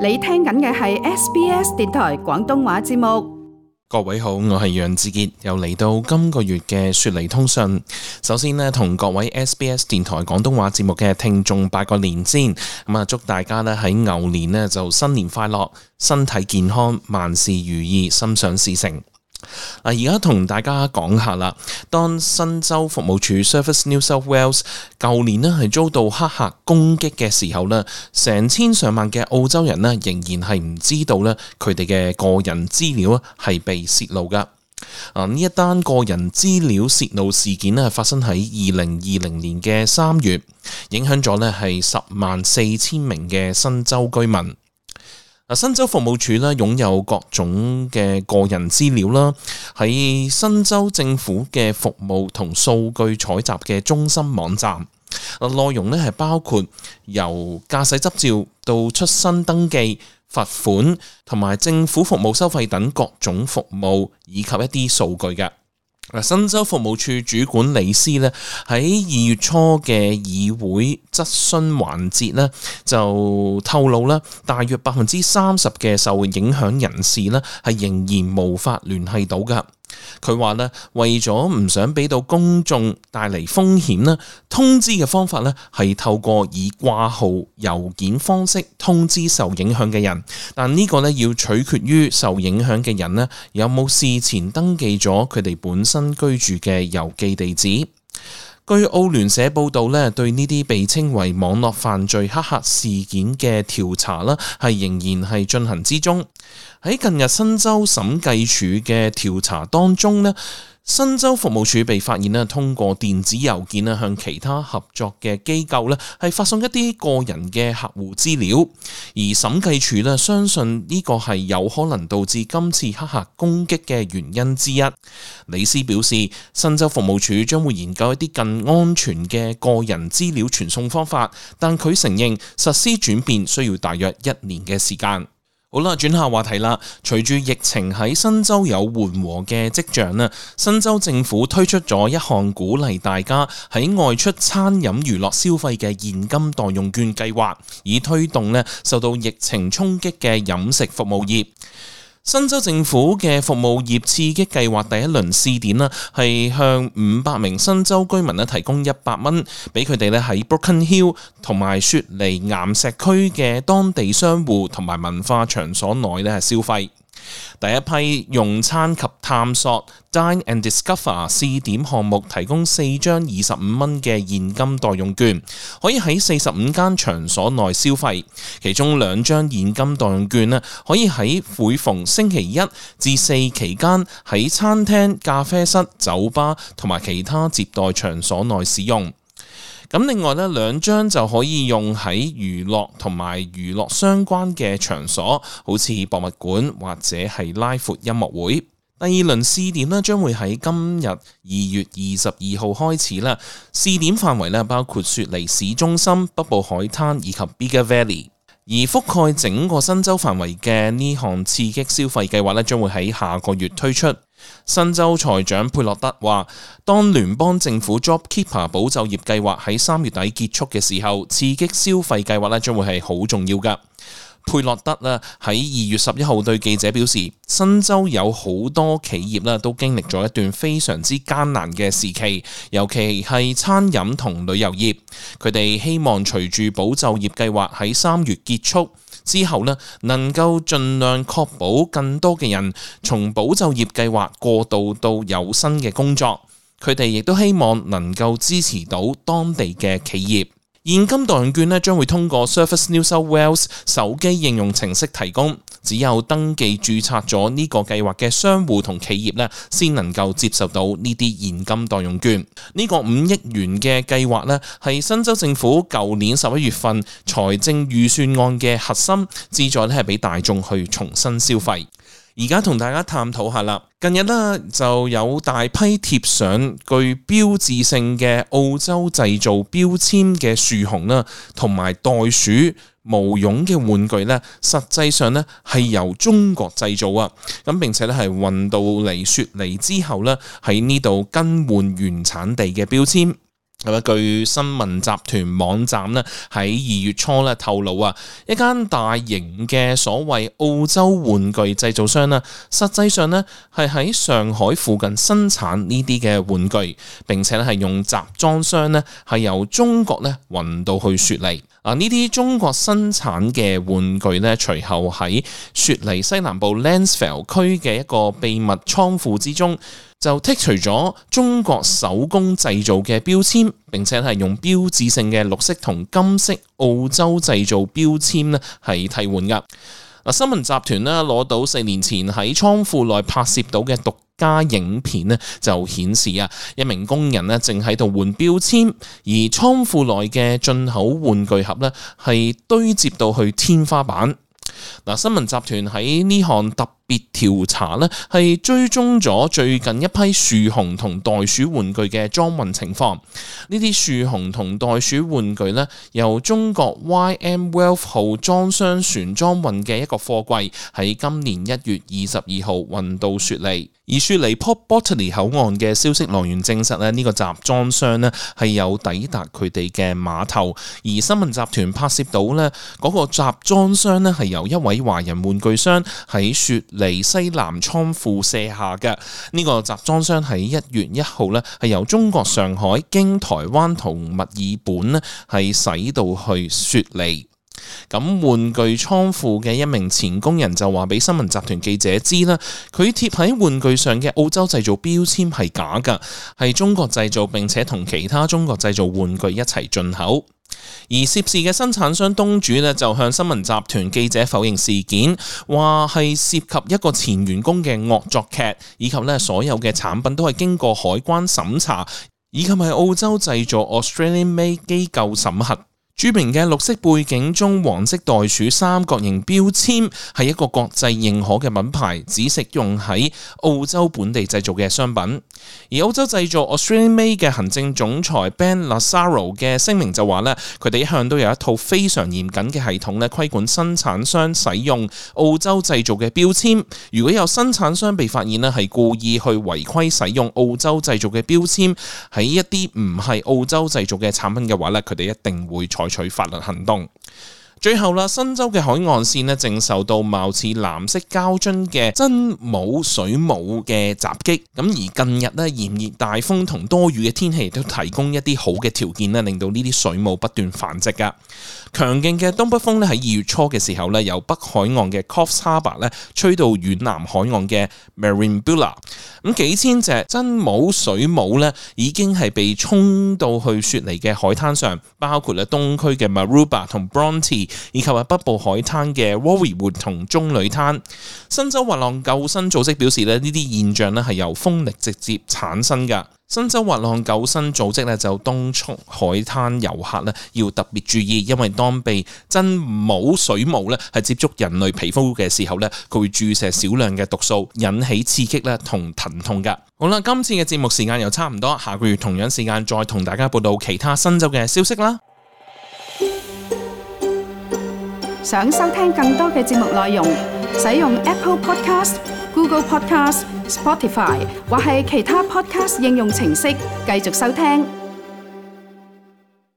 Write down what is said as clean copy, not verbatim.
你聽緊嘅係 SBS 電台廣東話節目。各位好，我係楊志傑，又嚟到今個月嘅雪梨通訊。首先呢，同各位 SBS 電台廣東話節目嘅聽眾拜個年先。祝大家呢喺牛年呢就新年快樂，身體健康，萬事如意，心想事成。而家同大家講下啦，當新州服務處 Service New South Wales 舊年呢係遭到黑客攻擊嘅時候呢，成千上萬嘅澳洲人呢仍然係唔知道呢佢哋嘅個人資料係被泄露噶。呢一單個人資料泄露事件呢發生喺2020年嘅3月，影響咗呢係104000名嘅新州居民。新州服務處咧擁有各種嘅個人資料啦，喺新州政府嘅服務同數據採集嘅中心網站，內容咧係包括由駕駛執照到出生登記、罰款同埋政府服務收費等各種服務以及一啲數據嘅。新州服務處主管李斯咧喺2月初嘅議會質詢環節咧就透露啦，大約30%嘅受影響人士咧係仍然無法聯繫到噶。佢話咧，為咗唔想俾到公眾帶嚟風險咧，通知嘅方法咧係透過以掛號郵件方式通知受影響嘅人，但呢個咧要取決於受影響嘅人咧有冇事前登記咗佢哋本身居住嘅郵寄地址。據澳聯社報道咧，對呢啲被稱為網絡犯罪黑客事件嘅調查啦，係仍然係進行之中。喺近日新州審計署嘅調查當中咧，新州服務處被發現咧，通過電子郵件咧向其他合作嘅機構咧係發送一啲個人嘅客戶資料，而審計署咧相信呢個係有可能導致今次黑客攻擊嘅原因之一。李斯表示，新州服務處將會研究一啲更安全嘅個人資料傳送方法，但佢承認實施轉變需要大約1年嘅時間。好啦，轉下話題啦。隨住疫情喺新州有緩和嘅跡象啦，新州政府推出咗一項鼓勵大家喺外出餐飲娛樂消費嘅現金代用券計劃，以推動呢受到疫情衝擊嘅飲食服務業。新州政府嘅服務業刺激計劃第一輪試點啦，係向500名新州居民咧提供100蚊，俾佢哋咧喺 Broken Hill 同埋雪梨岩石區嘅當地商戶同埋文化場所內咧消費。第一批用餐及探索 Dine and Discover 試點項目提供4張25蚊嘅現金代用券，可以喺45間場所內消費，其中2張現金代用券可以喺每逢星期1至4期間喺餐廳、咖啡室、酒吧同埋其他接待場所內使用。咁另外2張就可以用喺娛樂同埋娛樂相關嘅場所，好似博物館或者係拉闊音樂會。第2輪試點將會喺今日2月22號開始啦。試點範圍包括雪梨市中心、北部海灘以及 Bigger Valley。而覆蓋整個新州範圍嘅呢項刺激消費計劃將會喺下個月推出。新州財長佩洛德話，當聯邦政府 JobKeeper 保就業計劃喺3月底結束嘅時候，刺激消費計劃將會係好重要㗎。佩洛德喺2月11號對記者表示，新州有好多企業都經歷咗一段非常之艱難嘅時期，尤其係餐飲同旅遊業。佢哋希望隨住保就業計劃喺3月結束之後能夠盡量確保更多嘅人從保就業計劃過渡到有新嘅工作。佢哋亦都希望能夠支持到當地嘅企業。現金代用券將會通過 Service New South Wales 手機應用程式提供，只有登記註冊咗呢個計劃嘅商戶同企業先能夠接受到呢啲現金代用券。呢個5億元嘅計劃係新州政府舊年11月份財政預算案嘅核心，旨在係俾大眾去重新消費。而家同大家探討下啦，近日就有大批貼上具標誌性嘅澳洲製造標籤嘅樹熊啦，同埋袋鼠、毛絨嘅玩具實際上係由中國製造啊，咁並且係運到嚟雪梨之後喺呢度更換原產地嘅標籤。咁據新聞集團網站咧喺2月初咧透露啊，一間大型嘅所謂澳洲玩具製造商啦，實際上咧係喺上海附近生產呢啲嘅玩具，並且咧係用集裝箱咧係由中國咧運到去雪梨。呢啲中國生產嘅玩具咧，隨後喺雪梨西南部 Lansvale 區嘅一個秘密倉庫之中，就剔除咗中國手工製造嘅標籤，並且係用標誌性嘅綠色同金色澳洲製造標籤咧係替換噶。新聞集團咧攞到4年前喺倉庫內拍攝到嘅獨家影片咧，就顯示啊，一名工人咧正喺度換標籤，而倉庫內嘅進口玩具盒咧係堆接到去天花板。新聞集團喺呢項特別調查咧，係追蹤咗最近一批樹熊同袋鼠玩具嘅裝運情況。呢啲樹熊同袋鼠玩具咧，由中國 YM Wealth 號裝箱船裝運嘅一個貨櫃，喺今年1月22號運到雪梨。而雪梨 Port Botany 口岸嘅消息來源證實咧，呢個集裝箱咧係有抵達佢哋嘅碼頭。而新聞集團拍攝到咧嗰個集裝箱咧係由一位華人玩具商喺雪梨西南倉庫卸下嘅。呢個集裝箱喺1月1號咧係由中國上海經台灣同墨爾本咧係駛到去雪梨。咁玩具倉庫嘅一名前工人就話俾新聞集團記者知啦，佢貼喺玩具上嘅澳洲製造標籤係假噶，係中國製造，並且同其他中國製造玩具一齊進口。而涉事嘅生產商東主呢，就向新聞集團記者否認事件，話係涉及一個前員工嘅惡作劇，以及呢所有嘅產品都係經過海關審查，以及係澳洲製造 Australian Made 機構審核。著名嘅綠色背景中黃色袋鼠三角形標籤係一個國際認可嘅品牌，只適用喺澳洲本地製造嘅商品。而澳洲製造 Australian Made 嘅行政總裁 Ben Lazaro 嘅聲明就話咧，佢哋一向都有一套非常嚴謹嘅系統咧，規管生產商使用澳洲製造嘅標籤。如果有生產商被發現咧係故意去違規使用澳洲製造嘅標籤喺一啲唔係澳洲製造嘅產品嘅話咧，佢哋一定會採取法律行動。最後啦，新州嘅海岸線咧正受到貌似藍色膠樽嘅真母水母嘅襲擊。咁而近日咧炎熱大風同多雨嘅天氣都提供一啲好嘅條件咧，令到呢啲水母不斷繁殖噶。強勁嘅東北風咧喺2月初嘅時候咧，由北海岸嘅 Coffs Harbour 咧吹到遠南海岸嘅 Merimbula。咁幾千隻真母水母咧已經係被沖到去雪梨嘅海灘上，包括咧東區嘅 Maroubra 同 Bronte，以及係北部海灘嘅 Warriewood 同棕櫚灘。新州滑浪救生組織表示咧，呢啲現象咧係由風力直接產生㗎。新州滑浪救生組織咧就敦促海灘遊客咧要特別注意，因為當被真母水母咧係接觸人類皮膚嘅時候咧，佢會注射少量嘅毒素，引起刺激咧同疼痛㗎。好啦，今次嘅節目時間又差唔多，下個月同樣時間再同大家報道其他新州嘅消息啦。想收聽更多嘅節目內容，使用 Apple Podcast、Google Podcast、Spotify 或係其他 Podcast 應用程式繼續收聽。